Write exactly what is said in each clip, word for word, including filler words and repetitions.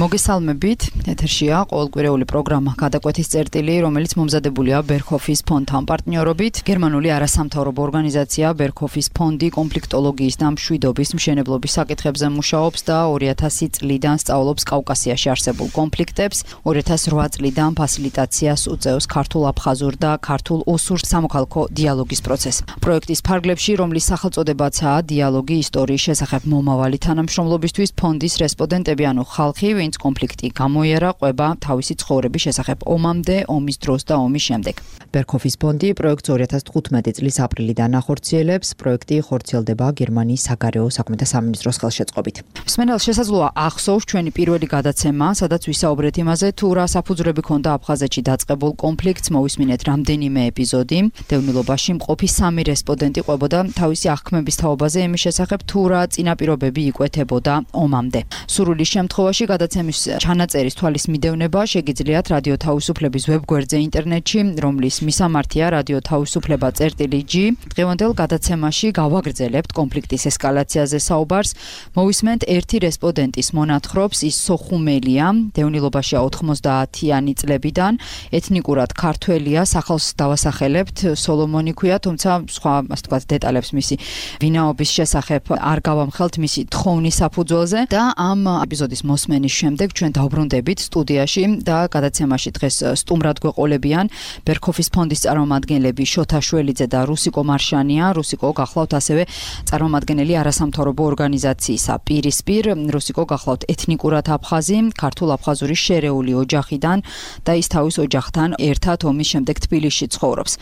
მოგესალმებით, ეთერშია ყოველკვირეული პროგრამა გადაკვეთის წერტილი, რომელიც მომზადებულია ბერჰოფის ფონდთან პარტნიორობით. გერმანული არასამთავრობო ორგანიზაცია ბერჰოფის ფონდი კონფლიქტოლოგიის და მშვიდობის მშენებლობის საკითხებზე მუშაობს და ორი ათასი წლიდან სწავლობს კავკასიაში არსებულ კონფლიქტებს. ორი ათას რვა წლიდან ფასილიტაციას უწევს ქართულ-აფხაზურ და ქართულ-ოსურ სამოქალაქო დიალოგის პროცესს. პროექტის ფარგლებში, რომლის სახელწოდებაცაა დიალოგი ისტორიის შესახებ მომავალი თანამშრომლობისთვის, ფონდის რესპონდენტები ანუ ხალხი, ვინც კონფლიქტი გამოიარა, ყვება თავისი ცხოვრების შესახებ ომამდე, ომის დროს და ომის შემდეგ. ბერჰოფის ფონდი პროექტს ორი ათას თხუთმეტი წლის აპრილიდან ახორციელებს. პროექტი ხორციელდება გერმანიის საგარეო საქმეთა სამინისტროს ხელშეწყობით. მსმენელს შესაძლოა ახსოვს ჩვენი პირველი გადაცემა, სადაც ვისაუბრეთ იმაზე, თუ რა საფუძვლები ჰქონდა აფხაზეთში დაწყებულ კონფლიქტს. მოვისმინეთ რამდენიმე ეპიზოდი. დევნილობაში მყოფი სამი რესპონდენტი ყვებოდა თავისი აღქმების თაობაზე იმის შესახებ, თუ რა წინაპირობები იკვეთებოდა ომამდე. სურვილის შემთხვევაში გადაცემის ჩანაწერის თვალის მიდევნება შეგიძლიათ რადიო თავისუფლების ვებგვერდზე ინტერნეტში, რომლის მისამართია რადიო თავისუფლება წერტილი G. დღევანდელ გადაცემაში გავაგრძელებთ კონფლიქტის ესკალაციაზე საუბარს. მოვისმენთ ერთი რესპონდენტის მონათხრობს, ის სოხუმელია, დევნილობაშია ოთხმოცდაათიანი წლებიდან, ეთნიკურად ქართველია, სახელს დავასახელებთ, სოლომონი ქვია, თუმცა სხვა, ასე ვთქვათ, დეტალებს მისი ვინაობის შესახებ არ გავამხელთ მისი თხოვნის საფუძველზე და ამ ეპიზოდის მოსმენის შემდეგ ჩვენ დავბრუნდებით სტუდიაში და გადაცემაში დღეს სტუმრად გვეყოლებიან ბერჰოფის ფონდის წარმომადგენლები შოთა შველიძე და რუსიკო მარშანია. რუსიკო გახლავთ ასევე წარმომადგენელი არასამთავრობო ორგანიზაციისა პირისპირ. რუსიკო გახლავთ ეთნიკურად აფხაზი, ქართულ-აფხაზური შერეული ოჯახიდან და ის თავის ოჯახთან ერთად ომის შემდეგ თბილისში ცხოვრობს.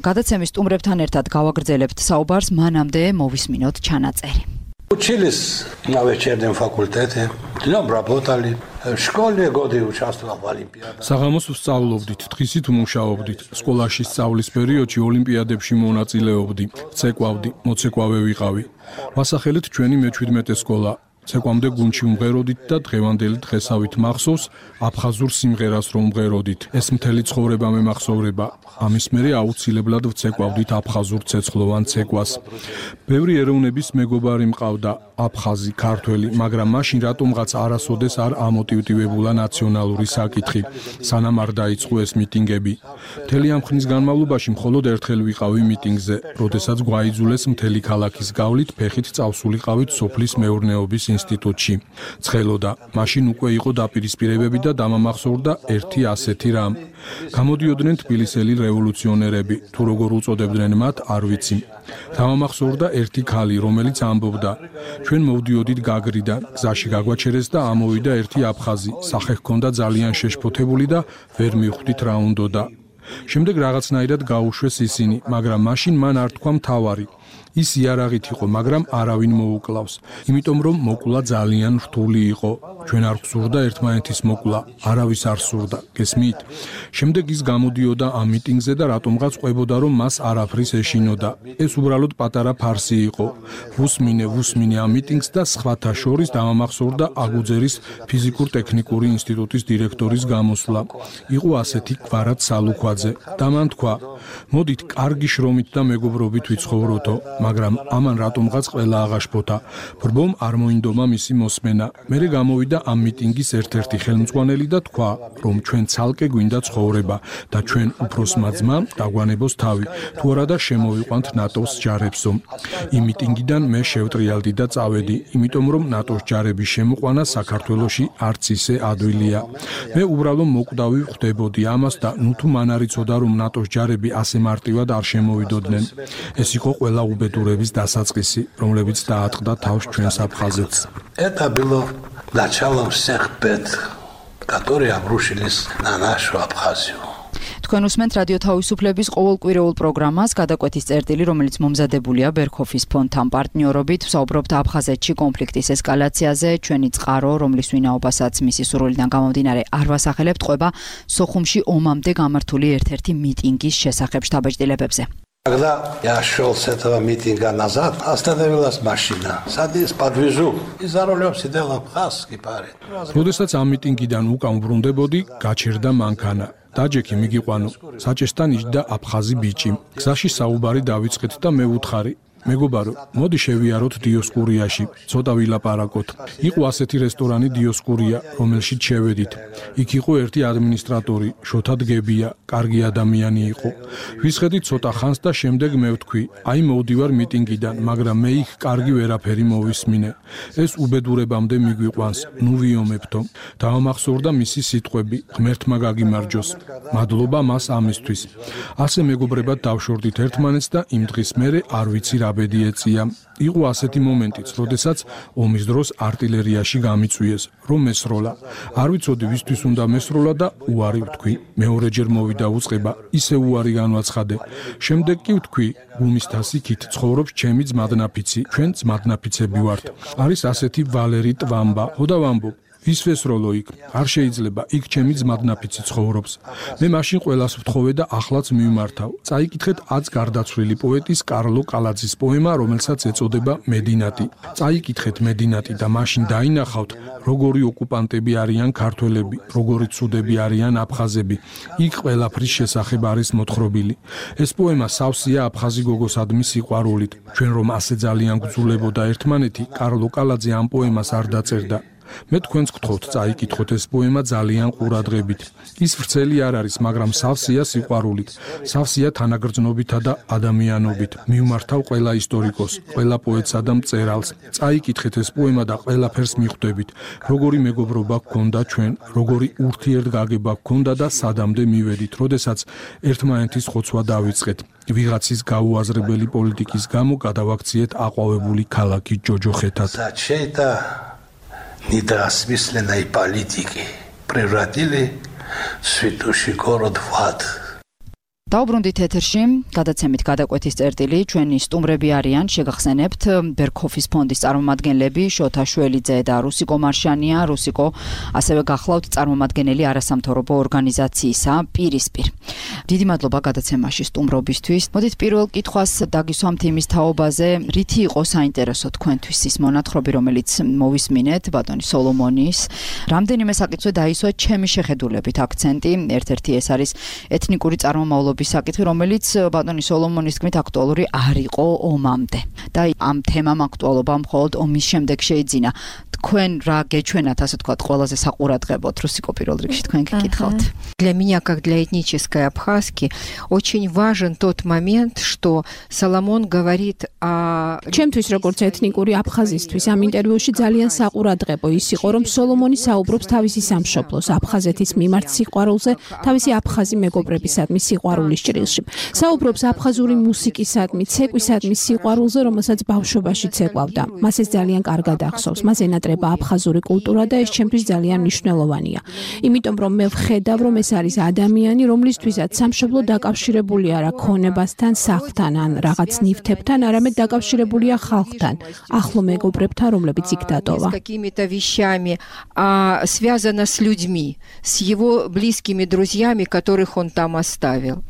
გადაცემის სტუმრებთან ერთად გავაგრძელებთ საუბარს, მანამდე მოვისმინოთ ჩანაწერი. Учились на вечернем факультете, днем работали. В школе годы участвовал в олимпиадах. საღამოს ვსწავლობდით, დღისით ვმუშაობდით. სკოლაში სწავლის პერიოდში ოლიმპიადებში მონაწილეობდი, ცეკვავდი, მოცეკვავე ვიყავი. ვასახელეთ ჩვენი მეჩვიდმეტე სკოლა. ცეკვამდე გუნდში ვმღეროდით და დღევანდელი დღესავით მახსოვს აფხაზურ სიმღერას რომ ვმღეროდით. ეს მთელი ცხოვრება მემახსოვრება. ამის მერე აუცილებლად ვცეკვავდით აფხაზურ ცეცხლოვან ცეკვას. ბევრი ეროვნების მეგობარი მყავდა, აფხაზი, ქართველი, მაგრამ მაშინ რატომღაც არასოდეს არ ამოტივტივებულა ნაციონალური საკითხი, სანამ არ დაიწყო ეს მიტინგები. მთელი ამ ხნის განმავლობაში მხოლოდ ერთხელ ვიყავი მიტინგზე, როდესაც გვაიძულეს მთელი ქალაქის გავლით ფეხით წავსულიყავით სოფლის მეურნეობის ინსტიტუტში. ცხელოდა, მაშინ უკვე იყო დაპირისპირებები და დამამახსოვრდა ერთი ასეთი რამ. გამოდიოდნენ თბილისელი რევოლუციონერები, თუ როგორ უწოდებდნენ მათ, არ ვიცი. დამამახსოვრდა ერთი ქალი, რომელიც ამბობდა: ჩვენ მოვდიოდით გაგრიდან, გზაში გაგვაჩერეს და ამოვიდა ერთი აფხაზი, სახე ჰქონდა ძალიან შეშფოთებული და ვერ მივხვდით რა უნდოდა. შემდეგ რაღაცნაირად გაუშვეს ისინი, მაგრამ მაშინ მან არ თქვა მთავარი. ის იარაღით იყო, მაგრამ არავინ მოუკლავს, იმიტომ რომ მოკლა ძალიან რთული იყო. ჩვენ არ გვსურდა ერთმანეთის მოკლა, არავის არ სურდა, გესმით? შემდეგ ის გამოდიოდა ამ მიტინგზე და რატომღაც ყვებოდა, რომ მას არაფრის ეშინოდა. ეს უბრალოდ პატარა ფარსი იყო. ვუსმინე, ვუსმინე ამ მიტინგს და სხვათა შორის დამამახსოვრდა აგუძერის ფიზიკურ-ტექნიკური ინსტიტუტის დირექტორის გამოსვლა. იყო ასეთი გვარად სალუქვაძე და მან თქვა: მოდით, კარგი შრომით და მეგობრობით ვიცხოვროთო. მაგრამ ამან რატომღაც ყველა აღაშფოთა. ბრბომ არ მოინდომა მისი მოსმენა. მერე გამოვიდა ამ მიტინგის ერთ-ერთი ხელმძღვანელი და თქვა, რომ ჩვენ ცალკე გვინდა ცხოვრება და ჩვენ უფროსმა ძმამ დაგვანებოს თავი, თუ არა და შემოვიყვანთ ნატოს ჯარებსო. იმ მიტინგიდან მე შევტრიალდი და წავედი, იმიტომ რომ ნატოს ჯარების შემოყვანა საქართველოში არც ისე ადვილია. მე უბრალოდ მოკვდავი ხვდებოდი ამას და ნუ თუ მან არ იცოდა, რომ ნატოს ჯარები ასე მარტივად არ შემოვიდოდნენ. ეს იყო ყველა უბედურების დასაწყისი, რომლებიც დაატყდა თავს ჩვენს აფხაზეთს. Это было началом всех бед, которые обрушились на нашу Абхазию. თქვენ უსმენთ რადიო თავისუფლების ყოველკვირეულ პროგრამას გადაკვეთის წერტილი, რომელიც მომზადებულია ბერჰოფის ფონდთან პარტნიორობით. ვსაუბრობთ აფხაზეთში კონფლიქტის ესკალაციაზე. ჩვენი წყარო, რომლის ვინაობასაც მისი სურვილიდან გამომდინარე არ ვასახელებთ, ყვება სოხუმში омამდე გამართული ერთ-ერთი მიტინგის შესახებ შთაბეჭდილებებზე. Когда я шел с этого митинга назад, остановилась машина. Садись, подвезу. И за рулем сидел абхазский парень. როდესაც ამ მიტინგიდან უკან ვბრუნდებოდი, გაჩერდა მანქანა. დაჯექი მიგიყვანო. საჭესთან იჯდა აფხაზი ბიჭი. გზაში საუბარი დავიწყეთ და მე ვუთხარი: მეგობარო, მოდი შევიაროთ დიოსკურიაში, ცოტა ვილაპარაკოთ. იყო ასეთი რესტორანი დიოსკურია, რომელშიც შევედით. იქ იყო ერთი ადმინისტრატორი, შოთა დგებია, კარგი ადამიანი იყო. ვისხედით ცოტა ხანს და შემდეგ მე ვთქვი, აი მოვდივარ მიტინგიდან, მაგრამ მე იქ კარგი ვერაფერი მოვისმინე. ეს უბედურებამდე მიგვიყვანს, ნუ ვიომებთო. დავამახსოვრდა მისი სიტყვები, ღმერთმა გაგიმარჯოს. მადლობა მას ამისთვის. ასე მეგობრებად დავშორდით ერთმანეთს და იმ დღის მერე არ ვიცი რა ბედი ეწია. იყო ასეთი მომენტიც, როდესაც ომის დროს არტილერიაში გამიწვიეს, რომ მესროლა. არ ვიცოდი ვისთვის უნდა მესროლა და უარი ვთქვი. მეორეჯერ მოვიდა უწყება, ისე უარი განვაცხადე. შემდეგ კი ვთქვი, გუმის თასიქით ცხოვრობს ჩემი ძმადნაფიცი, ჩვენ ძმადნაფიცები ვართ. არის ასეთი ვალერი ტვამბა, ხოდა ვამბობ. ვის ვესროლო იქ? არ შეიძლება, იქ ჩემი ძმადნაფიცი ცხოვრობს. მე მაშინ ყველას ვთხოვე და ახლაც მივმართავ. წაიკითხეთ აც გარდაცვლილი პოეტის კარლო კალაძის პოემა, რომელსაც ეწოდება მედინატი. წაიკითხეთ მედინატი და მაშინ დაინახავთ, როგორი ოკუპანტები არიან ქართველები, როგორი ცუდები არიან აფხაზები. იქ ყველაფრის შესახებ არის მოთხრობილი. ეს პოემა სავსეა აფხაზი გოგოსადმი სიყვარულით. ჩვენ რომ ასე ძალიან გძულებოდა ერთმანეთი, კარლო კალაძე ამ პოემას არ დაწერდა. მე თქვენს გთხოვთ წაიკითხოთ ეს პოემა ძალიან ყურადღებით. ის ვრცელი არ არის, მაგრამ სავსეა სიყვარულით, სავსეა თანაგრძნობითა და ადამიანობით. მივმართავ ყველა ისტორიკოს, ყველა პოეტსა და მწერალს. წაიკითხეთ ეს პოემა და ყველაფერს მიხვდებით, როგორი მეგობრობა გქონდა ჩვენ, როგორი ურთიერთგაგება გქონდა და სადამდე მივედით, როდესაც ერთმანეთის ხოცვა დავიწყეთ. ვიღაცის გაუაზრებელი პოლიტიკის გამო გადავაქციეთ აყვავებული ქალაქი ჯოჯოხეთად. Недоосмысленной политики превратили святущий город в ад. დაუბრუნდით ეთერში, გადაცემით გადაკვეთის წერტილი, ჩვენი სტუმრები არიან, შეგახსენებთ, ბერქოფის ფონდის წარმომადგენლები, შოთა შველიძე და რუსიკო მარშანია, რუსიკო ასევე გახლავთ წარმომადგენელი არასამთავრობო ორგანიზაციისა პირისპირ. დიდი მადლობა გადაცემაში სტუმრობისთვის. მოდით პირველ კითხვას დაგისვამთ იმის თაობაზე, რითი იყო საინტერესო თქვენთვის ის მონათხრობი, რომელიც მოვისმინეთ ბატონი სოლომონის. რამდენიმე საკითხზე დაისვა ჩემი შეხედულებით აქცენტი, ერთ-ერთი ეს არის ეთნიკური წარმომავლობის საკითხი, რომელიც ბატონი სოლომონის თქმით აქტუალური არ იყო ომამდე. და ამ თემამ აქტუალობა მხოლოდ ომის შემდეგ შეიძინა. თქვენ რა გეჩვენათ, ასე თქვათ, ყველაზე საყურადღებოდ, რუსიკო პირველ რიგში თქვენ გეკითხავთ. Для меня, как для этнической абхазки, очень важен тот момент, что Соломон говорит о... ჩემთვის როგორც ეთნიკური აფხაზისთვის ამ ინტერვიუში ძალიან საყურადღებო ის იყო, რომ სოლომონი საუბრობს თავისი სამშობლოს, აფხაზეთის მიმართ სიყვარულზე, თავისი აფხაზი მეგობრებისადმი სიყვარულის ჭრილში. საუბრობს აფხაზური მუსიკისადმი, ცეკვისადმი სიყვარულზე, რომელსაც ბავშვობაში ცეკვავდა. მას ეს ძალიან კარგად ახსოვს. მას ენატრება აფხაზური კულტურა და ეს ჩემთვის ძალიან მნიშვნელოვანია. იმიტომ რომ მე ვხედავ, რომ ეს არის ადამიანი, რომლისთვისაც სამშობლო დაკავშირებული არა ქონებასთან, სახლთან ან რაღაც ნივთებთან, არამედ დაკავშირებულია ხალხთან, ახლო მეგობრებთან, რომლებიც იქ დატოვა. С какими-то вещами, а связано с людьми, с его близкими друзьями, которых он там оставил.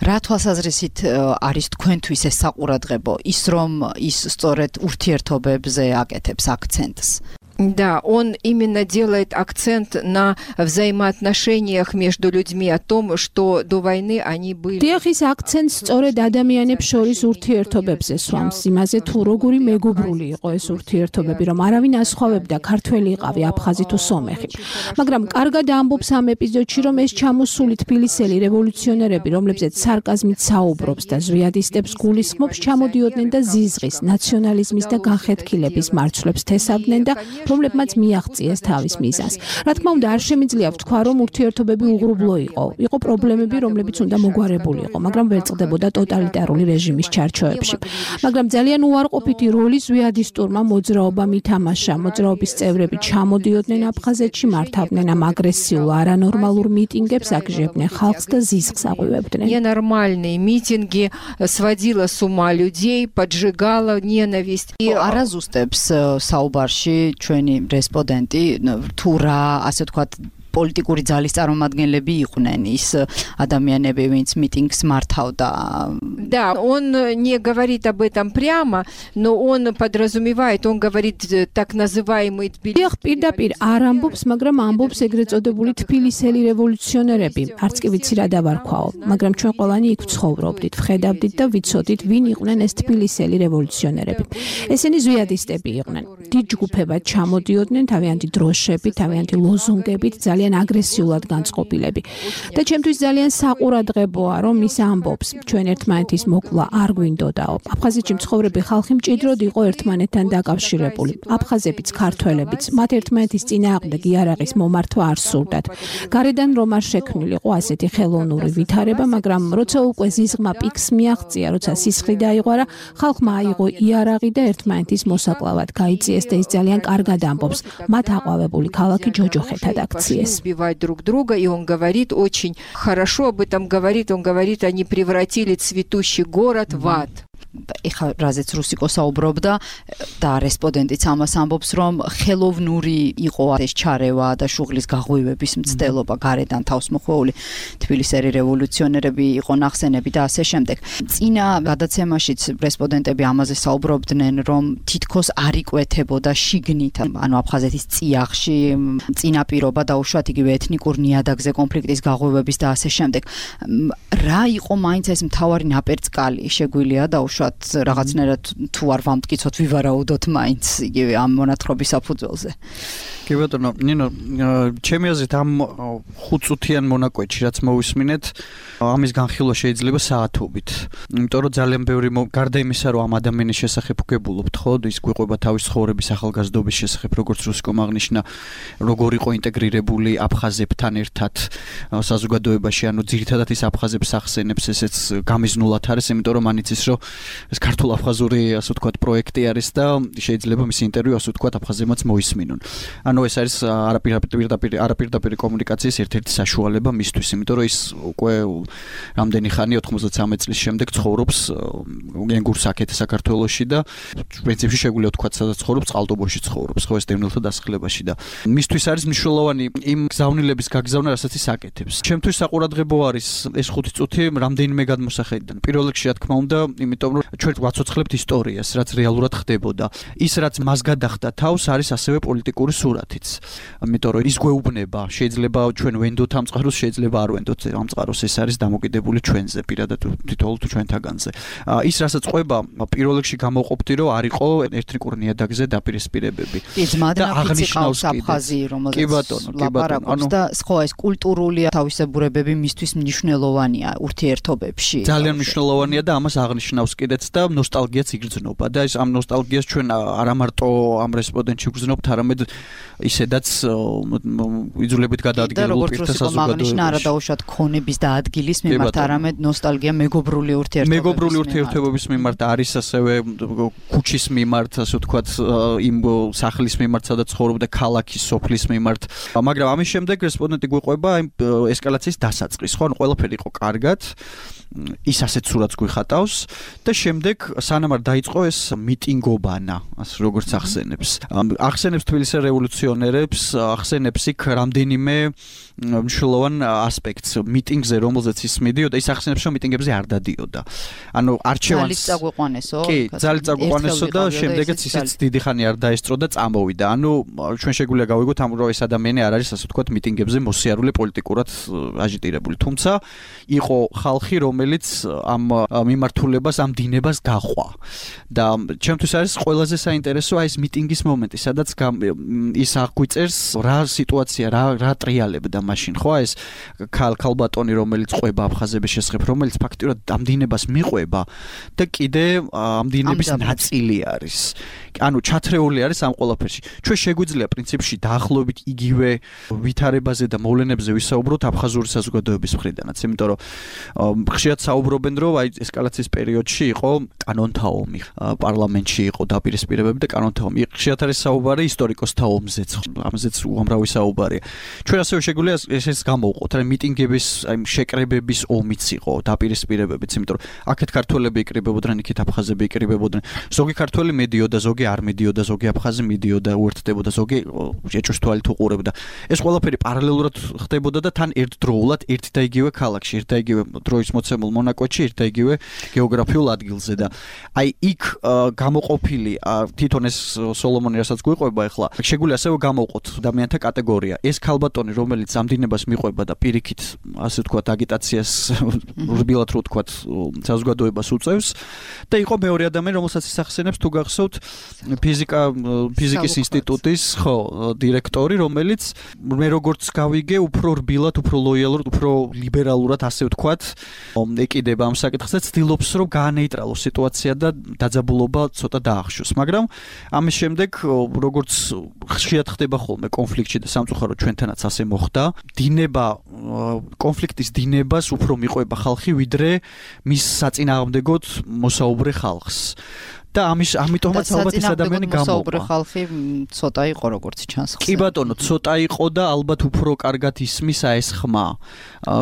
რა თვალსაზრისით არის თქვენთვის ეს საყურადღებო, ის რომ ის სწორედ ურთიერთობებზე აკეთებს აქცენტს? Да, он именно делает акцент на взаимоотношениях между людьми, о том, что до войны они были. დიახის აქცენტს სწორედ ადამიანებს შორის ურთიერთობებზე სვამს, იმაზე თუ როგორი მეგობრული იყო ეს ურთიერთობები, რომ არავინ ასხვავებდა ქართველი იყავი, აფხაზი თუ სომეხი. მაგრამ კარგად ამბობს ამ ეპიზოდში, რომ ეს ჩამოსული თბილისელი რევოლუციონერები, რომლებზეც სარკაზმით საუბრობს და ზვიადისტებს გულისხმობს, ჩამოდიოდნენ და ზიზღის, ნაციონალიზმის და განხეთქილების მარცვლებს თესავდნენ და რომლებმაც მიაღწიეს თავის მიზანს. რა თქმა უნდა, არ შემიძლია ვთქვა, რომ ურთიერთობები უღრუბლო იყო. იყო პრობლემები, რომლებიც უნდა მოგვარებულიყო, მაგრამ ვერ წყდებოდა ტოტალიტარული რეჟიმის ჩარჩოებში. მაგრამ ძალიან უარყოფითი როლი ზვიადისტურმა მოძრაობამ ითამაშა. მოძრაობის წევრები ჩამოდიოდნენ აფხაზეთში, მართავდნენ ამ აგრესიულ არანორმალურ მიტინგებს, აგჟებდნენ ხალხს და ზიზღს აღვივებდნენ. Ненормальные митинги, сводила с ума людей, поджигала ненависть. არაზუსტებს საუბარში ჩვენი რესპონდენტი თუ რა, ასე ვთქვათ, პოლიტიკური ძალის წარმომადგენლები იყვნენ ის ადამიანები, ვინც მიტინგს მართავდა. Да, он не говорит об этом прямо, но он подразумевает, он говорит так называемый დიახ, პირდაპირ არ ამბობს, მაგრამ ამბობს ეგრეთ წოდებული თბილისელი რევოლუციონერები. არც კი ვიცი რა დავარქვაო, მაგრამ ჩვენ ყველანი იქ ვცხოვრობდით, ვხედავდით და ვიცოდით, ვინ იყვნენ ეს თბილისელი რევოლუციონერები. ესენი ზვიადისტები იყვნენ. დიდ ჯგუფებად ჩამოდიოდნენ, თავიანთი დროშებით, თავიანთი ლოზუნგებით, ძალიან აგრესიულად განწყობილები. და ჩემთვის ძალიან საყურადღებოა, რომ ის ამბობს, ჩვენ ერთმანეთის მოკვლა არ გვინდოდაო. აფხაზეთში მცხოვრები ხალხი მჭიდროდ იყო ერთმანეთთან დაკავშირებული. აფხაზებიც, ქართველებიც, მათ ერთმანეთის წინააღმდეგ იარაღის მომართვა არ სურდათ. გარედან რომ არ შექმნილიყო ასეთი ხელოვნური ვითარება, მაგრამ როცა უკვე ზიზღმა პიკს მიაღწია, როცა სისხლი დაიღვარა, ხალხმა აიღო იარაღი და ერთმანეთის მოსაკლავად გაიწიეს და ის ძალიან კარგად ამბობს. მათ აყვავებული ქალაქი ჯოჯოხეთად აქციეს. Убивать друг друга, и он говорит очень хорошо об этом говорит, он говорит, они превратили цветущий город в ад. ეხა რაზეც რუსიკო საუბრობდა და რესპონდენტიც ამას ამბობს, რომ ხელოვნური იყო ეს ჩარევა და შუღლის გაღვივების მცდელობა გარედან თავს მოხვეული თბილისელი რევოლუციონერები იყო ნახსენები და ასე შემდეგ. წინა გადაცემაშიც რესპონდენტები ამაზე საუბრობდნენ, რომ თითქოს არ იკვეთებოდა შიგნით, ანუ აფხაზეთის წიაღში წინაპირობა დაუშვათ იგივე ეთნიკურ ნიადაგზე კონფლიქტის გაღვივების და ასე შემდეგ. რა იყო მაინც ეს მთავარი ნაპერწკალი, შეგვიძლია დაუშვათ რაღაცნაირად თუ არ ვამტკიცოთ ვივარაუდოთ მაინც იგივე ამ მონათხრობის საფუძველზე. კი ბატონო, ნინო, ჩემი აზრით ამ ხუთწუთიან მონაკვეთში რაც მოვისმინეთ, ამის განხილვა შეიძლება საათობით. იმიტომ რომ ძალიან ბევრი გარდა იმისა, რომ ამ ადამიანის შესახებ ვგებულობთ, ხო, ის გვიყვება თავის ცხოვრების ახალგაზრდობის შესახებ, როგორც რუსიკომ აღნიშნა, როგორ იყო ინტეგრირებული აფხაზებთან ერთად საზოგადოებაში, ანუ ძირითადად ის აფხაზებს ახსენებს, ესეც გამიზნულად არის, იმიტომ რომ ანიცის რომ ეს ქართულ-აფხაზური, ასე ვთქვათ, პროექტი არის და შეიძლება მისი ინტერვიუ, ასე ვთქვათ, აფხაზებმაც მოისმინონ. ანუ ეს არის არაპირდაპირ არაპირდაპირ კომუნიკაციის ერთ-ერთი საშუალება მისთვის, იმიტომ რომ ის უკვე რამდენი ხანი ოთხმოცდაცამეტ წლის შემდეგ ცხოვრობს ენგურს აქეთ საქართველოში და პრინციპში შეგვიძლია ვთქვათ, სადაც ცხოვრობს, წყალტუბოში ცხოვრობს, ხო, ეს დევნილთა დასახლებაში და მისთვის არის მნიშვნელოვანი იმ გზავნილების გაგზავნა, რასაც ის აკეთებს. ჩემთვის საყურადღებო არის ეს ხუთი წუთი რამდენიმე გადმოსახედიდან. პირველ რიგში, რა თქმა უნდა, იმიტომ რომ ჩვენ ვაცოცხლებთ ისტორიას, რაც რეალურად ხდებოდა. ის რაც მას გადახდა თავს არის ასევე პოლიტიკური სურათიც. იმიტომ რომ ის გვეუბნება, შეიძლება ჩვენ ვენდოთ ამ წყაროს, შეიძლება არ ვენდოთ ამ წყაროს, ეს არის დამოკიდებული ჩვენზე, პირადად თითოეულ თუ ჩვენთაგანზე. ის რასაც ყვება, პირველ რიგში გამოვყოფდი, რომ არ იყო ეთნიკურ ნიადაგზე დაპირისპირებები. და აღნიშნავს აფხაზი, რომელზეც ლაპარაკობს და სხვა ეს კულტურული თავისებურებები მისთვის მნიშვნელოვანია ურთიერთობებში. ძალიან მნიშვნელოვანია და ამას აღნიშნავს კიდეც და ნოსტალგიაც იგრძნობა და ეს ამ ნოსტალგიას ჩვენ არა მარტო ამ რესპონდენტში ვგრძნობთ, არამედ ისედაც იძულებით გადაადგილებულ პირთა საზოგადოებაში. არა დაუშვათ ქონების და ადგილის მიმართ, არამედ ნოსტალგია მეგობრული ურთიერთობების. მეგობრული ურთიერთობების მიმართ არის ასევე ქუჩის მიმართ, ასე ვთქვათ, იმ სახლის მიმართ, სადაც ცხოვრობდა ქალაქის სოფლის მიმართ. მაგრამ ამის შემდეგ რესპონდენტი გვიყვება იმ ესკალაციის დასაწყის, ხო, ანუ ყველაფერი იყო კარგად. ის ასეთ სურათს გვიხატავს და შემდეგ სანამ არ დაიწყო ეს მიტინგობანა, ასე როგორც ახსენებს. ახსენებს თბილისის რევოლუციონერებს, ახსენებს იქ რამდენიმე მნიშვნელოვან ასპექტს მიტინგზე, რომელზეც ის მიდიოდა, ის ახსენებს, რომ მიტინგებზე არ დადიოდა. ანუ არჩევანს ძალით წაგვიყვანესო. კი, ძალით წაგვიყვანესო და შემდეგაც ისიც დიდი ხანი არ დაესწრო და წამოვიდა. ანუ ჩვენ შეგვიძლია გავიგოთ ამ რომ ეს ადამიანი არ არის, ასე ვთქვათ, მიტინგებზე მოსიარული პოლიტიკურად აჟიტირებული. თუმცა იყო ხალხი, რომელიც ამ მიმართულებას, ამ დინებას გაყვა. და ჩემთვის არის ყველაზე საინტერესო აი ეს მიტინგის მომენტი, სადაც ის აღგვიწერს რა სიტუაცია, რა რა ტრიალებდა მაშინ, ხო, ეს ქალბატონი, რომელიც ყვება აფხაზების შესახებ, რომელიც ფაქტიურად ამ დინებას მიყვება და კიდე ამ დინების ნაწილი არის. ანუ ჩათრეული არის ამ ყველაფერში. ჩვენ შეგვიძლია პრინციპში დაახლოებით იგივე ვითარებაზე და მოვლენებზე ვისაუბროთ აფხაზური საზოგადოების მხრიდანაც, იმიტომ რომ ხშირად საუბრობენ, რომ აი ესკალაციის პერიოდში იყო კანონთა ომი, პარლამენტში იყო დაპირისპირებები და კანონთა ომი. ხშირად არის საუბარი ისტორიკოსთა ომზე ამაზეც ამაზეც უამრავი საუბარია. ჩვენ ასევე შეგვიძლია ესეც გამოვყოთ, რა მიტინგების, აი შეკრებების ომიც იყო, დაპირისპირებებიც, იმიტომ რომ აქეთ ქართველები იკრიბებოდნენ, იქით აფხაზები იკრიბებოდნენ. ზოგი ქართველი მედიოდა, ზოგი არ მედიოდა, ზოგი აფხაზი მედიოდა, უერთდებოდა, ზოგი ეჭვს თვალით უყურებდა. ეს ყველაფერი პარალელურად ხდებოდა და თან ერთდროულად ერთ და იგივე ქალაქში, ერთ და იგივე დროის მოცემულ მონაკოჩი, ერთ და იგივე გეოგრაფიულ ადგილზე და აი იქ გამოყოფილი თვითონ ეს სოლომონი რასაც გვიყვება ახლა შეგვიძლია ასევე გამოვყოთ ადამიანთა კატეგორია. ეს ქალბატონი, რომელიც ამდინებას მიყვება და პირიქით, ასე ვთქვათ, აგიტაციას რბილად რო ვთქვათ, საზოგადოებას უწევს და იყო მეორე ადამიანი, რომელსაც ისახსენებს თუ გახსოვთ ფიზიკა ფიზიკის ინსტიტუტის, ხო, დირექტორი, რომელიც მე როგორც გავიგე, უფრო რბილად, უფრო ლოიალურად, უფრო ლიბერალურად, ასე ვთქვათ, ეკიდება ამ საკითხს და ცდილობს, რომ გაანეიტრალოს სიტუაცია და დაძაბულობა ცოტა დაახშოს. მაგრამ ამის შემდეგ, როგორც ხშირად ხდება ხოლმე კონფლიქტში და სამწუხაროდ ჩვენთანაც ასე მოხდა, დინება კონფლიქტის დინებას უფრო მიყვება ხალხი, ვიდრე მის საწინააღმდეგოდ მოსაუბრე ხალხს. და ამის ამიტომაც ალბათ ეს ადამიანი გამოვა. მოსაუბრე ხალხი ცოტა იყო როგორც ჩანს. კი ბატონო, ცოტა იყო და ალბათ უფრო კარგად ისმის აი ეს ხმა,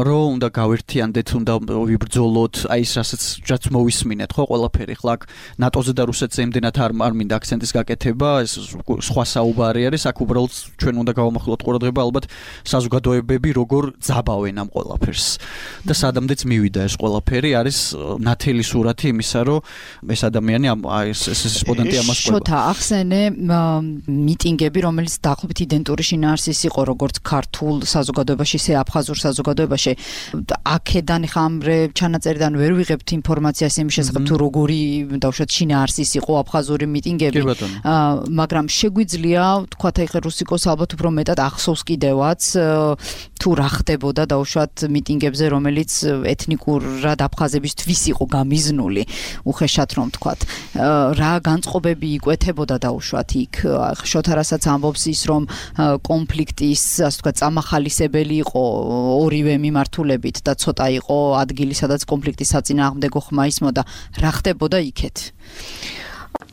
რომ უნდა გავერთიანდეთ, უნდა ვიბრძოლოთ, აი ეს რასაც რაც მოვისმინეთ, ხო, ყველაფერი. ხლა აქ ნატოზე და რუსეთზე იმდენად არ არ მინდა აქცენტის გაკეთება, ეს სხვა საუბარი არის, აქ უბრალოდ ჩვენ უნდა გავამახვილოთ ყურადღება ალბათ საზოგადოებები როგორ ძაბავენ ამ ყველაფერს. და სადამდეც მივიდა ეს ყველაფერი, არის ნათელი სურათი იმისა, რომ ეს ადამიანი ამ ეს ეს რესპონდენტი ამას ყვება. შოთა ახსენე მიტინგები, რომელიც დაახლოებით იდენტური შინაარსის იყო როგორც ქართულ საზოგადოებაში, ისე აფხაზურ საზოგადოებაში. აქედან ხა ამ ჩანაწერიდან ვერ ვიღებთ ინფორმაციას იმის შესახებ თუ როგორი დავუშვათ შინაარსის იყო აფხაზური მიტინგები. მაგრამ შეგვიძლია თქვათ აი ხე რუსიკოს ალბათ უფრო მეტად ახსოვს კიდევაც თუ რა ხდებოდა დავუშვათ მიტინგებზე, რომელიც ეთნიკურად აფხაზებისთვის იყო გამიზნული, უხეშად რომ თქვათ. რა განწყობები იკვეთებოდა დაუშვათ იქ შოთა რასაც ამბობს ის რომ კონფლიქტის ასე ვთქვათ წამახალისებელი იყო ორივე მიმართულებით და ცოტა იყო ადგილი სადაც კონფლიქტის საწინააღმდეგო ხმა ისმოდა რა ხდებოდა იქეთ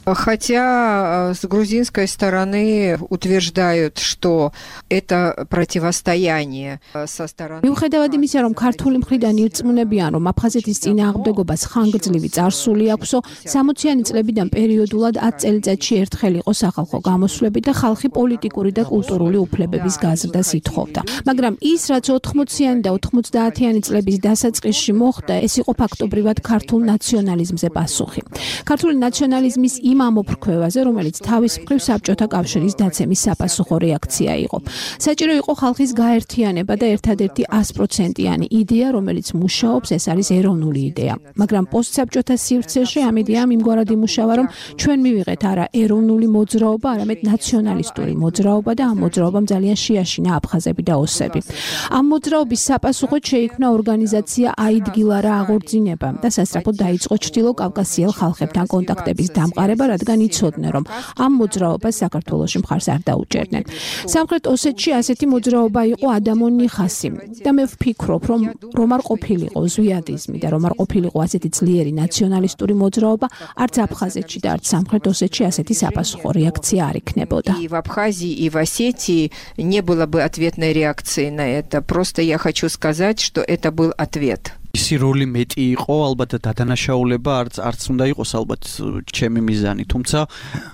Хотя с грузинской стороны утверждают, что это противостояние со стороны. მიუხედავად იმისა, რომ ქართული მხრიდან ირწმუნებიან, რომ აფხაზეთის წინააღმდეგობას ხანგრძლივი წარსული აქვსო, სამოციანი წლებიდან პერიოდულად ათ წელიწადში ერთხელ იყო სახალხო გამოსვლები და ხალხი პოლიტიკური და კულტურული უფლებების გაზრდას ითხოვდა. მაგრამ ის, რაც ოთხმოციანი და ოთხმოცდაათიანი წლების დასაწყისში მოხდა, ეს იყო ფაქტობრივად ქართულ ნაციონალიზმზე პასუხი. ქართული ნაციონალიზმის იმ ამოფრქვევაზე, რომელიც თავის მხრივ საბჭოთა კავშირის დაცემის საპასუხო რეაქცია იყო. საჭირო იყო ხალხის გაერთიანება და ერთადერთი ას პროცენტიანი იდეა, რომელიც მუშაობს, ეს არის ეროვნული იდეა. მაგრამ პოსტსაბჭოთა სივრცეში ამ იდეამ იმგვარად იმუშავა, რომ ჩვენ მივიღეთ არა ეროვნული მოძრაობა, არამედ ნაციონალისტური მოძრაობა და ამ მოძრაობამ ძალიან შეაშინა აფხაზები და ოსები. ამ მოძრაობის საპასუხოდ შეიქმნა ორგანიზაცია აიდგილა რა აღორძინება და სასწრაფოდ დაიწყო ჩრდილო კავკასიელ ხალხებთან კონტაქტების დამყარება, რადგან იცოდნენ, რომ ამ მოძრაობას საქართველოში მხარს არ დაუჭერდნენ. სამხრეთ ოსეთში ასეთი მოძრაობა იყო ადამონი ხასი და მე ვფიქრობ, რომ რომ არ ყოფილიყო ზვიადიზმი და რომ არ ყოფილიყო ასეთი ძლიერი ნაციონალისტური მოძრაობა, არც აფხაზეთში და არც სამხრეთ ოსეთში ასეთი საპასუხო რეაქცია არ იქნებოდა. И в Абхазии, и в Осетии не было бы ответной реакции на это. Просто я хочу сказать, что это был ответ. ისი როლი მეტი იყო, ალბათ დადანაშაულება არც არც უნდა იყოს ალბათ ჩემი მიზანი, თუმცა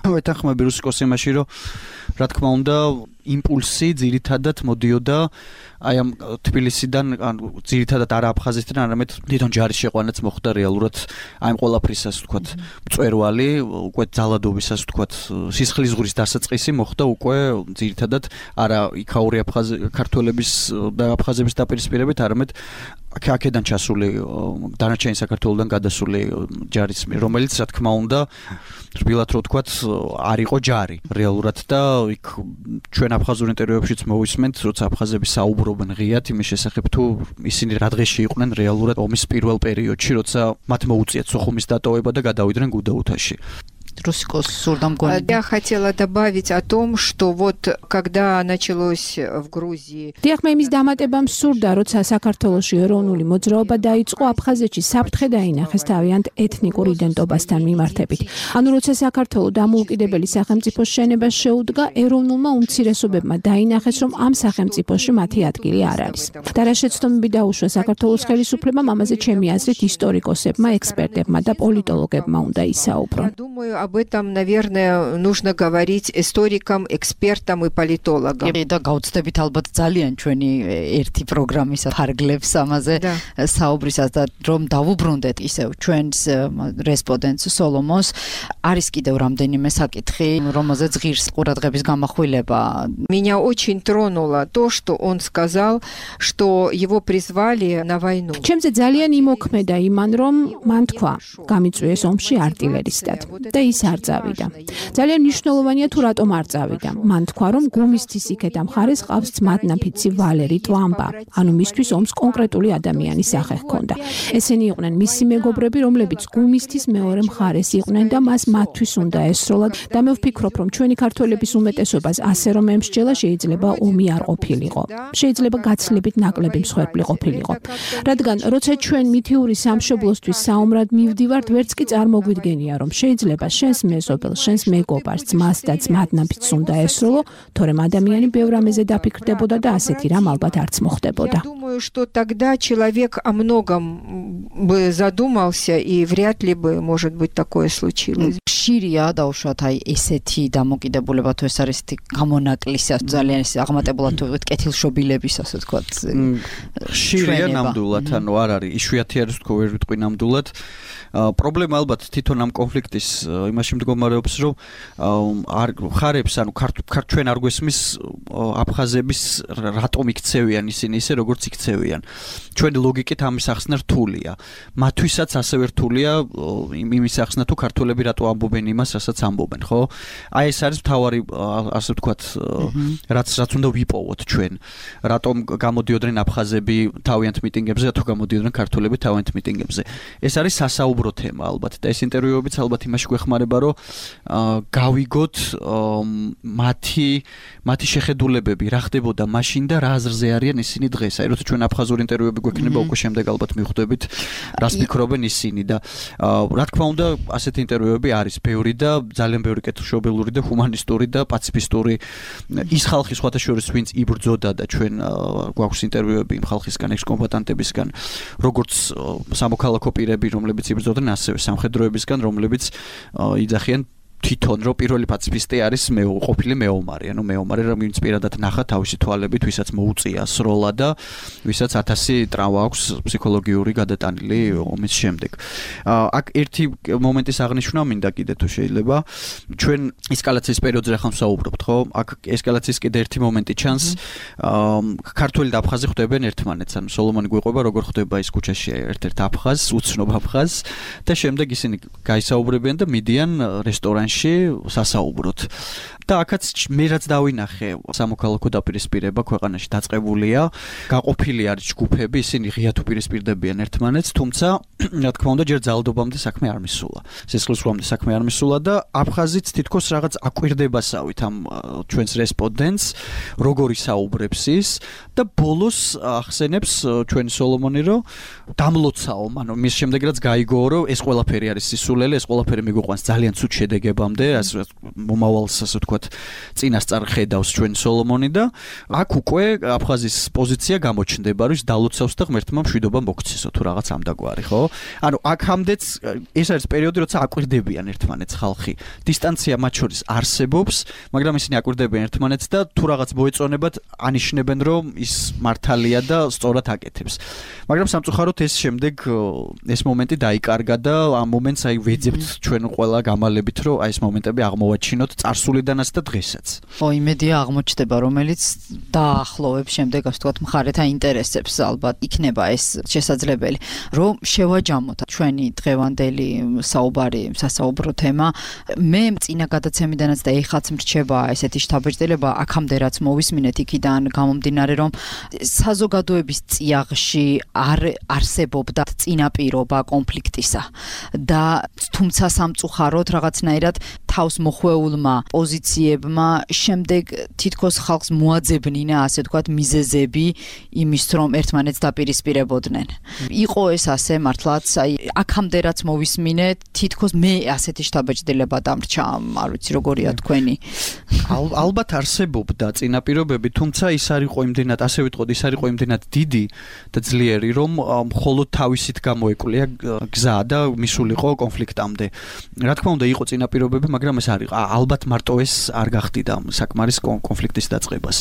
ვეთანხმები რუსიკოს იმაში, რომ რა თქმა უნდა იმპულსი ძირითადად მოდიოდა აი ამ თბილისიდან, ან ძირითადად არა აფხაზეთიდან, არამედ თვითონ ჯარის შეყვანაც მოხდა რეალურად აი ამ ყველაფრისას ვთქვათ მწვერვალი, უკვე ძალადობისას ვთქვათ სისხლის ზღვრის დასაწყისი მოხდა უკვე ძირითადად არა იქაური აფხაზი ქართველების და აფხაზების დაპირისპირებით, არამედ აქედან ჩასული დანარჩენი საქართველოსთან გადასული ჯარის მიერ, რომელიც რა თქმა უნდა რბილად რო ვთქვათ არ იყო ჯარი რეალურად და იქ ჩვენ აფხაზურ ინტერვიუებშიც მოვისმენთ, როცა აფხაზები საუბრობენ ღიად იმის შესახებ თუ ისინი რა დღეში იყვნენ რეალურად ომის პირველ პერიოდში, როცა მათ მოუწიათ სოხუმის დატოვება და გადავიდნენ გუდაუთაში. Русикос сурдам гонит. Я хотела добавить о том, что вот когда началось в Грузии. დიახ, მე იმის დამატებამ სურდა, როცა საქართველოში ეროვნული მოძრაობა დაიწყო, აფხაზეთში საფრთხე დაინახეს თავიანთ ეთნიკურ იდენტობასთან მიმართებით. ანუ როცა საქართველო დამოუკიდებელი სახელმწიფოს შენებას შეუდგა, ეროვნულმა უმცირესობებმა დაინახეს, რომ ამ სახელმწიფოში მათი ადგილი არ არის. და რა შეცდომები დაუშვა საქართველოს ხელისუფლებამ, ამაზე ჩემი აზრით ისტორიკოსებმა, ექსპერტებმა და პოლიტოლოგებმა უნდა ისაუბრონ. Думаю, об этом, наверное, нужно говорить историкам, экспертам и политологам. და გაუცდებით ალბათ ძალიან ჩვენი ერთი პროგრამის ფარგლებს ამაზე საუბრისას და რომ დავუბრუნდეთ ისევ ჩვენს რესპონდენტს სოლომონს, არის კიდევ რამდენიმე საკითხი, რომელზეც ღირს ყურადღების გამახვილება. Меня очень тронуло то, что он сказал, что его призвали на войну. ჩემზე ძალიან იმოქმედა იმან, რომ მან თქვა, გამიწვიეს ომში артиллеристად და ის არ წავიდა. ძალიან მნიშვნელოვანია თუ რატომ არ წავიდა. მან თქვა, რომ გუმისთის იქეთ ამ ხარეს ყავს ძმადნაფიცი ვალერი ტვამბა, ანუ მისთვის ომს კონკრეტული ადამიანის სახე ჰქონდა. ესენი იყვნენ მისი მეგობრები, რომლებიც გუმისთის მეორე მხარეს იყვნენ და მას მათთვის უნდა ესროლა და მე ვფიქრობ, რომ ჩვენი ქართველების უმეტესობას ასე რომ ემსჯელა, შეიძლება ომი არ ყოფილიყო. შეიძლება გაცილებით ნაკლები მსხვერპლი ყოფილიყო. რადგან როცა ჩვენ მითიური სამშობლოსთვის საომრად მივდივართ, ვერც კი წარმოგვიდგენია, რომ შეიძლება შენს მეზობელს, შენს მეგობარს, ძმას და ძმადნაფიცს უნდა ესროლო, თორემ ადამიანი ბევრ ამაზე დაფიქრდებოდა და ასეთი რამ ალბათ არც მოხდებოდა. Я думаю, что тогда человек о многом бы задумался и вряд ли бы, может быть, такое случилось. ხშირია დაუშვათ აი ესეთი დამოკიდებულება თუ ეს არის გამონაკლისა ძალიან ის აღმატებულად თუ ვიყოთ კეთილშობილების ასე ვთქვათ. ხშირია ნამდვილად, ანუ არ არის იშვიათი არის თქო ვერ ვიტყვი ნამდვილად. პრობლემა ალბათ თვითონ ამ კონფლიქტის იმაში მდგომარეობს, რომ არ ხარებს, ანუ ჩვენ არ გვესმის აფხაზების რატომ იქცევიან ისინი ისე როგორც იქცევიან. ჩვენი ლოგიკით ამის ახსნა რთულია. მათთვისაც ასევე რთულია იმის ახსნა თუ ქართველები რატო ამბობენ იმას, რასაც ამბობენ, ხო? აი ეს არის მთავარი ასე ვთქვათ, რაც რაც უნდა ვიპოვოთ ჩვენ. რატომ გამოდიოდნენ აფხაზები თავიანთ მიტინგებზე, თუ გამოდიოდნენ ქართველები თავიანთ მიტინგებზე. ეს არის სასაუბრო თემა ალბათ და ეს ინტერვიუებიც ალბათ იმაში გვეხმარება, რომ გავიგოთ მათი მათი შეხედულებები რა ხდებოდა მაშინ და რა აზრზე არიან ისინი დღეს. აი როცა ჩვენ აფხაზურ ინტერვიუები გვექნება, უკვე შემდეგ ალბათ მიხვდებით რას ფიქრობენ ისინი და რა თქმა უნდა ასეთი ინტერვიუები არის ბევრი და ძალიან ბევრი კეთილშობილური და ჰუმანისტური და პაციფისტური ის ხალხი სხვათა შორის ვინც იბრძოდა და ჩვენ გვაქვს ინტერვიუები იმ ხალხისგან, ექს-კომბატანტებისგან, როგორც სამოქალაქო პირები, რომლებიც იბრძოდნენ, ასევე სამხედროებისგან, რომლებიც იძახიან თვითონ რომ პირველი პაციფისტი არის მე ყოფილი მეომარი, ანუ მეომარი რომ ვინც პირადად ნახა თავისი თვალებით, ვისაც მოუწია სროლა და ვისაც ათასი ტრავმა აქვს ფსიქოლოგიური გადატანილი ომის შემდეგ. აქ ერთი მომენტის აღნიშვნა მინდა კიდე თუ შეიძლება. ჩვენ ესკალაციის პერიოდზე ახლა ვსაუბრობთ, ხო? აქ ესკალაციის კიდე ერთი მომენტი ჩანს. ქართველი და აფხაზი ხვდებენ ერთმანეთს, ანუ სოლომონი გვიყვება როგორ ხვდება ის ქუჩაში ერთ-ერთ აფხაზს, უცნობ აფხაზს და შემდეგ ისინი გაისაუბრებიან და მიდიან რესტორანში სასაუბროთ. და აქაც მე რაც დავინახე, სამოქალაქო დაპირისპირება ქვეყანაში დაწყებულია, გაყოფილი არის ჯგუფები, ისინი ღიათ უპირისპირდებიან ერთმანეთს, თუმცა რა თქმა უნდა ჯერ ძალადობამდე საქმე არ მისულა. სისხლისღვრამდე საქმე არ მისულა და აფხაზიც თითქოს რაღაც აკვირდებასავით ამ ჩვენს რესპონდენტს, როგორი საუბრებს ის და ბოლოს ახსენებს ჩვენი სოლომონი, რომ დამლოცაო, ანუ მის შემდეგ რაც გაიგო, რომ ეს ყველაფერი არის სისულელი, ეს ყველაფერი მიგვიყვანს ძალიან ცუდ შედეგებამდე, ასე მომავალს ასე ვთქვათ, წინასწარ ხედავს ჩვენ სოლომონი და აქ უკვე აფხაზის პოზიცია გამოჩნდება, რომ ის დალოცავს და ღმერთმა მშვიდობა მოგცესო თუ რაღაც ამდაგვარი, ხო? ანუ აქამდეც ეს არის პერიოდი, როცა აკვირდებიან ერთმანეთს ხალხი. დისტანცია მათ შორის არსებობს, მაგრამ ისინი აკვირდებიან ერთმანეთს და თუ რაღაც მოეწონებათ, ანიშნებენ, რომ ის მართალია და სწორად აკეთებს. მაგრამ სამწუხაროდ ეს შემდეგ ეს მომენტი დაიკარგა და ამ მომენტს აი ვეძებთ ჩვენ ყველა გამალებით, რომ აი ეს მომენტები აღმოვაჩინოთ წარსულიდან ჩვენთანაც და დღესაც. ო, იმედია აღმოჩნდება, რომელიც დაახლოვებს შემდეგ, ასე ვთქვათ, მხარეთა ინტერესებს, ალბათ იქნება ეს შესაძლებელი, რომ შევაჯამოთ ჩვენი დღევანდელი საუბარი, სასაუბრო თემა. მე წინა გადაცემიდანაც და ეხლაც მრჩება ესეთი შთაბეჭდილება, აქამდე რაც მოვისმინეთ იქიდან გამომდინარე, რომ საზოგადოების წიაღში არ არსებობდა წინაპირობა კონფლიქტისა და თუმცა სამწუხაროდ რაღაცნაირად თავს მოხვეულმა პოზიციებმა შემდეგ თითქოს ხალხს მოაძებნინა, ასე ვთქვათ, მიზეზები იმის, რომ ერთმანეთს დაპირისპირებოდნენ. იყო ეს ასე მართლაც, აი აქამდე რაც მოვისმინეთ, თითქოს მე ასეთი შთაბეჭდილება დამრჩა, არ ვიცი როგორია თქვენი. ალბათ არსებობდა წინაპირობები, თუმცა ის არ იყო იმდენად, ასე ვიტყოდ, ის არ იყო იმდენად დიდი და ძლიერი, რომ მხოლოდ თავისით გამოეკვლია გზა და მისულიყო კონფლიქტამდე. რა თქმა უნდა, იყო წინაპირობები, მაგრამ ეს არ იყო. ალბათ მარტო ეს არ გახდიდა საკმარის კონფლიქტის დაწყებას.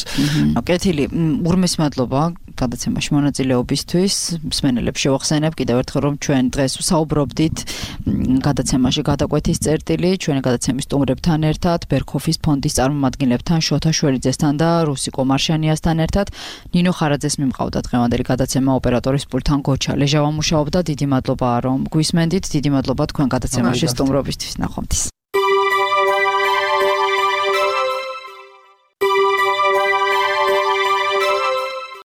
კეთილი, ურმეს მადლობა გადაცემაში მონაწილეობისთვის. მსმენელებს შევახსენებ კიდევ ერთხელ, რომ ჩვენ დღეს ვსაუბრობდით გადაცემაში გადაკვეთის წერტილი, ჩვენი გადაცემის სტუმრებთან ერთად, ბერქოფის ფონდის წარმომადგენლებთან, შოთა შველიძესთან და რუსიკო მარშანიასთან ერთად. ნინო ხარაძეს მიმყავდა დღევანდელი გადაცემა, ოპერატორის პულტთან გოჩა ლეჟავა მუშაობდა. დიდი მადლობა, რომ გვისმენდით, დიდი მადლობა თქვენ გადაცემაში სტუმრობისთვის. ნახვამდის.